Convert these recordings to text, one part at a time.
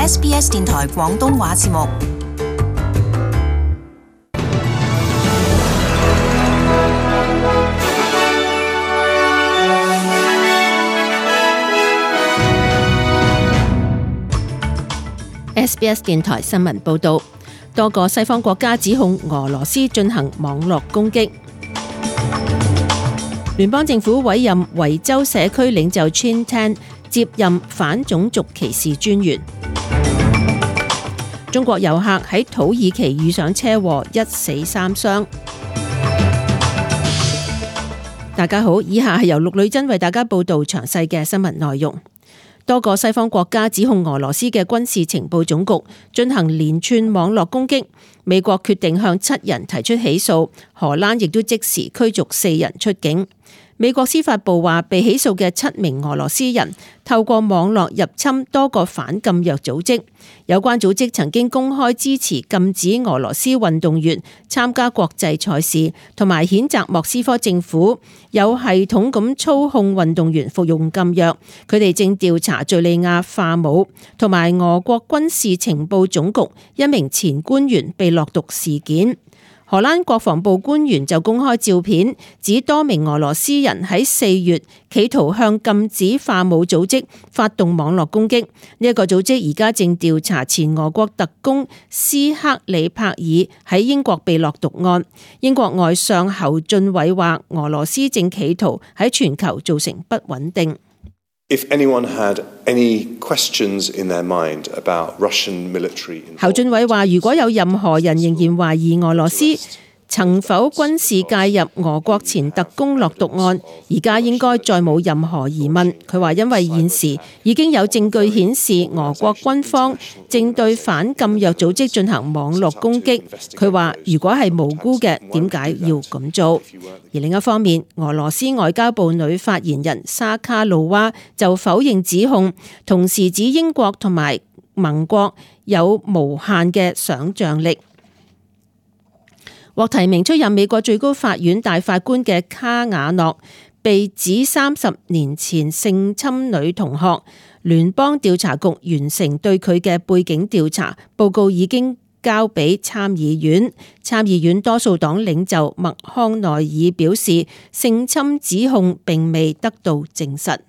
SBS 電台廣東話節目。SBS 電台新聞報導，多個西方國家指控俄羅斯進行網絡攻擊。聯邦政府委任維州社區領袖 Chin Tan 接任反種族歧視專員。中國遊客喺土耳其遇上車禍，1死3傷。大家好，以下係由陸女真為大家報導詳細嘅新聞內容。多個西方國家指控俄羅斯嘅軍事情報總局進行連串網絡攻擊，美國決定向7人提出起訴，荷蘭亦都即時驅逐4人出境。美國司法部話，被起訴嘅7名俄羅斯人透過網絡入侵多個反禁藥組織，有關組織曾經公開支持禁止俄羅斯運動員參加國際賽事，同埋譴責莫斯科政府有系統咁操控運動員服用禁藥。佢哋正調查敘利亞化武同埋俄國軍事情報總局一名前官員被落毒事件。荷蘭國防部官員就公開照片，指多名俄羅斯人喺4月企圖向禁止化武組織發動網絡攻擊。呢一個組織而家正調查前俄國特工斯克里柏爾喺英國被落毒案。英國外相侯俊偉話，俄羅斯正企圖喺全球造成不穩定。If anyone had any questions in their mind about Russian military involvement，侯俊偉話，如果有任何人仍然懷疑俄羅斯曾否軍事介入俄國前特工落毒案，而家應該再冇任何疑問。佢話因為現時已經有證據顯示俄國軍方正對反禁藥組織進行網絡攻擊。佢話如果係無辜嘅，點解要咁做？而另一方面，俄羅斯外交部女發言人沙卡路娃就否認指控，同時指英國同埋盟國有無限嘅想像力。獲提名出任美國最高法院大法官嘅卡瓦諾被指30年前性侵女同學，聯邦調查局完成對佢嘅背景調查，報告已經交俾參議院。參議院多數黨領袖麥康奈爾表示，性侵指控並未得到證實。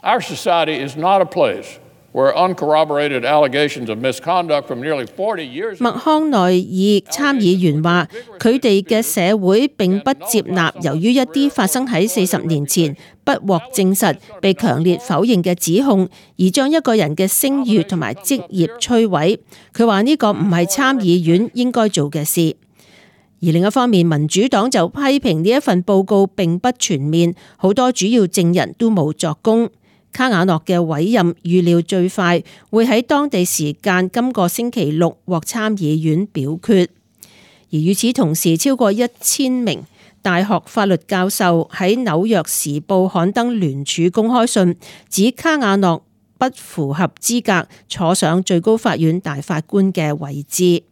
Our society is not a place where uncorroborated allegations of misconduct from nearly 40 years。麥康奈爾參議員話，佢哋嘅社會並不接納由於一啲發生喺40年前不獲證實、被強烈否認嘅指控，而將一個人嘅聲譽同埋職業摧毀。佢話呢個唔係參議院應該做嘅事。而另一方面，民主黨就批評呢一份報告並不全面，好多主要證人都冇作供。卡瓦諾嘅委任預料最快會喺當地時間今個星期6獲參議院表決。而與此同時，超過1000名大學法律教授喺紐約時報刊登聯署公開信，指卡瓦諾不符合資格坐上最高法院大法官嘅位置。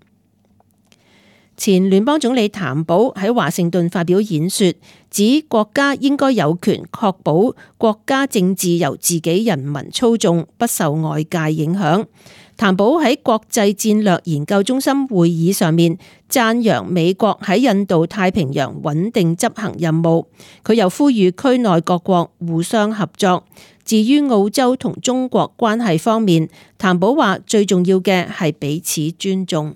前聯邦總理譚寶喺華盛頓發表演說，指國家應該有權確保國家政治由自己人民操縱，不受外界影響。譚寶喺國際戰略研究中心會議上面讚揚美國喺印度太平洋穩定執行任務，佢又呼籲區內各國互相合作。至於澳洲同中國關係方面，譚寶話最重要嘅係彼此尊重。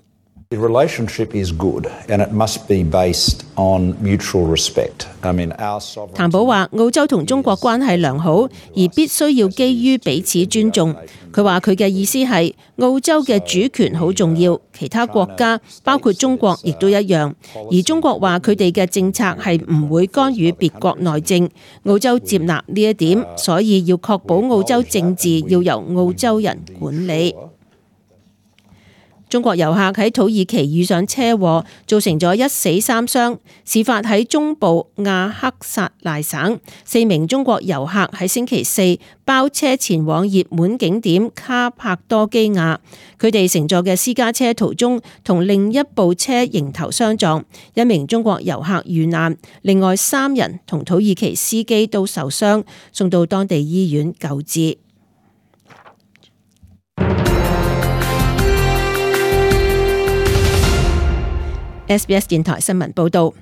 The relationship is good, and it must be based on mutual respect. our sovereignty。譚寶話澳洲同中國關係良好，而必須要基於彼此尊重。佢話佢嘅意思係澳洲嘅主權好重要，其他國家包括中國亦都一樣。而中國話佢哋嘅政策係唔會干預別國內政，澳洲接納呢一點，所以要確保澳洲政治要由澳洲人管理。中國遊客喺土耳其遇上車禍，造成咗1死3傷。事發喺中部亞克薩賴省，4名中國遊客喺星期4包車前往熱門景點卡帕多基亞，佢哋乘坐嘅私家車途中同另一部車迎頭相撞，1名中國遊客遇難，另外3人同土耳其司機都受傷，送到當地醫院救治。SBS 電台新聞報導。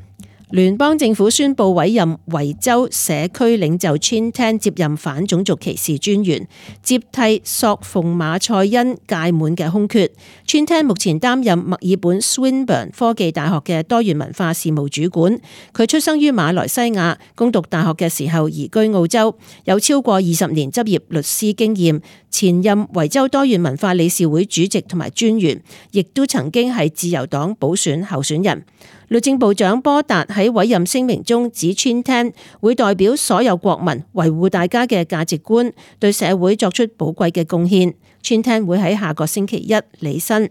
聯邦政府宣布委任維州社區領袖 Chin Tan 接任反種族歧視專員，接替索馮馬賽恩屆滿嘅空缺。Chin Tan 目前擔任墨爾本 Swinburne 科技大學嘅多元文化事務主管。佢出生於馬來西亞，攻讀大學嘅時候移居澳洲，有超過20年執業律師經驗。前任維州多元文化理事會主席同埋專員，亦都曾經係自由黨補選候選人。律政部長波達喺委任聲明中指 Chin Tan 會代表所有國民維護大家嘅價值觀，對社會作出寶貴嘅貢獻。Chin Tan 會喺下個星期一履新。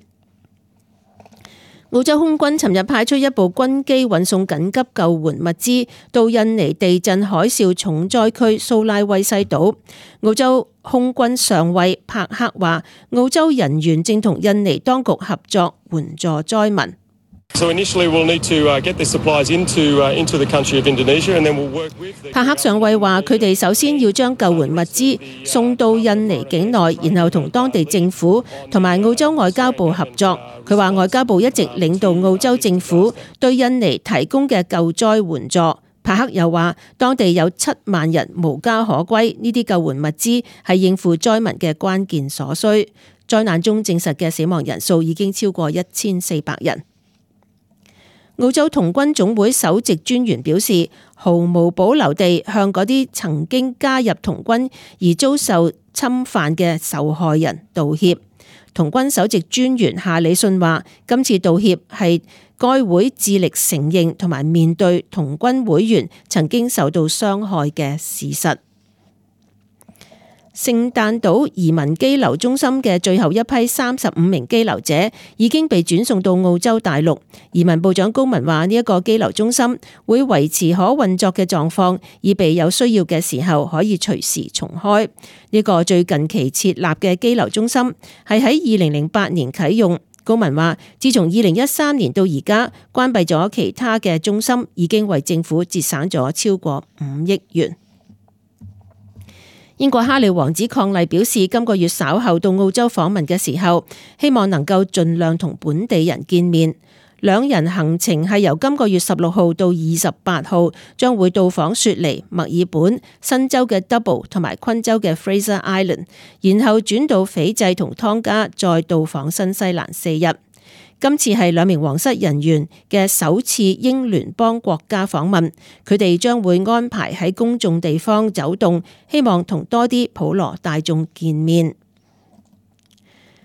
澳洲空軍尋日派出一部軍機運送緊急救援物資到印尼地震海嘯重災區蘇拉威西島。澳洲空軍上尉帕克話，澳洲人員正同印尼當局合作援助災民。So initially we'll need to get the supplies into the country of Indonesia, and then we'll work with. 帕克上尉話：佢哋首先要將救援物資送到印尼境內，然後同當地政府同埋澳洲外交部合作。佢話外交部一直領導澳洲政府對印尼提供嘅救災援助。帕克又話：當地有7萬人無家可歸，呢啲救援物資係應付災民嘅關鍵所需。災難中證實嘅死亡人數已經超過1400人。澳洲童軍總會首席專員表示，毫無保留地向嗰啲曾經加入童軍而遭受侵犯嘅受害人道歉。童軍首席專員夏里遜話，今次道歉係該會致力承認同埋面對童軍會員曾經受到傷害嘅事實。聖誕島移民羈留中心嘅最後一批35名羈留者已經被轉送到澳洲大陸。移民部長高文話，呢一個羈留中心會維持可運作嘅狀況，以備有需要嘅時候可以隨時重開。呢個最近期設立嘅羈留中心係喺2008年啟用。高文話，自從2013年到而家關閉咗其他嘅中心，已經為政府節省咗超過5億元。英國哈利王子伉儷表示，今個月稍後到澳洲訪問嘅時候，希望能夠盡量同本地人見面。兩人行程係由今個月16號到28號，將會到訪雪梨、墨爾本、新州嘅 Double 同埋昆州嘅 Fraser Island， 然後轉到斐濟同湯加，再到訪新西蘭4日。今次係兩名皇室人員嘅首次英聯邦國家訪問，佢哋將會安排喺公眾地方走動，希望同多啲普羅大眾見面。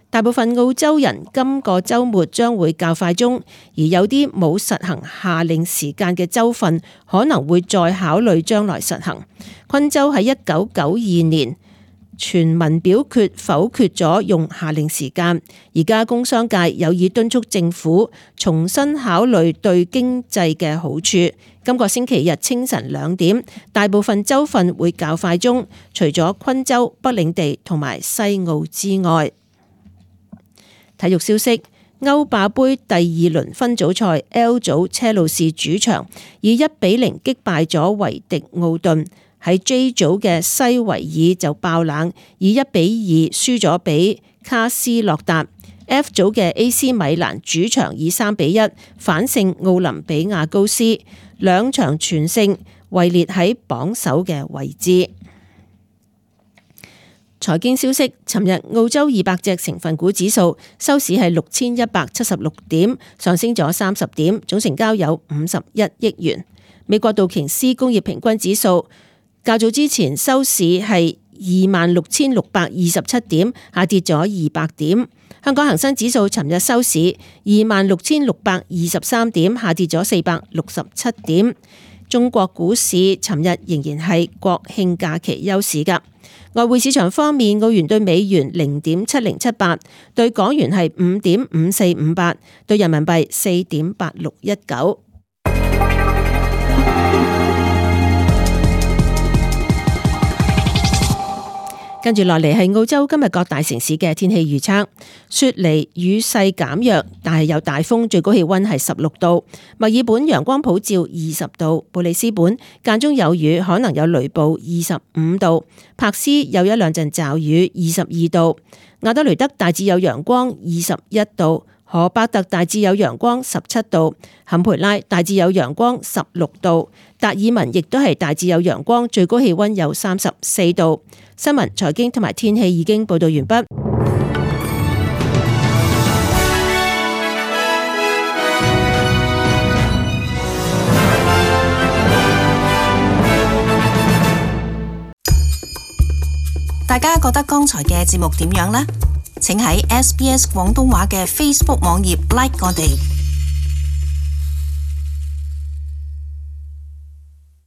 大部分澳洲人今個週末將會較快鐘，而有啲冇實行夏令時間嘅州份可能會再考慮將來實行。昆州喺1992年全民表決否決咗用夏令時間，而家工商界有意敦促政府重新考慮對經濟嘅好處。今個星期日清晨2點，大部分州份會較快鐘，除咗昆州、北領地同埋西澳之外。體育消息：歐霸杯第2輪分組賽 L 組車路士主場以1-0擊敗咗維迪奧頓。喺 J 組嘅西維爾就爆冷，以1-2輸咗俾卡斯洛達。F 組嘅 AC 米蘭主場以3-1反勝奧林比亞高斯，兩場全勝，位列喺榜首嘅位置。財經消息：尋日澳洲200隻成分股指數收市係6176點，上升咗30點，總成交有51億元。美國道瓊斯工業平均指數較早之前收市係26,627點，下跌咗200點。香港恒生指數尋日收市26,623點，下跌咗467點。中國股市尋日仍然係國慶假期休市㗎。外匯市場方面，澳元對美元0.7078，對港元係5.5458，對人民幣4.8619。跟住落嚟係澳洲今日各大城市嘅天氣預測。雪梨雨勢減弱，但係有大風，最高氣溫係16度。墨爾本陽光普照20度。布里斯本間中有雨，可能有雷暴25度。柏斯有一兩陣驟雨22度。亞德雷德大致有陽光21度。荷伯特大致有陽光17度，坎培拉大致有陽光16度，達爾文亦都係大致有陽光，最高氣溫有34度。新聞、財經同埋天氣已經報道完畢。大家覺得剛才嘅節目點樣呢？請喺SBS 廣東話嘅 Facebook 網頁 like 我哋。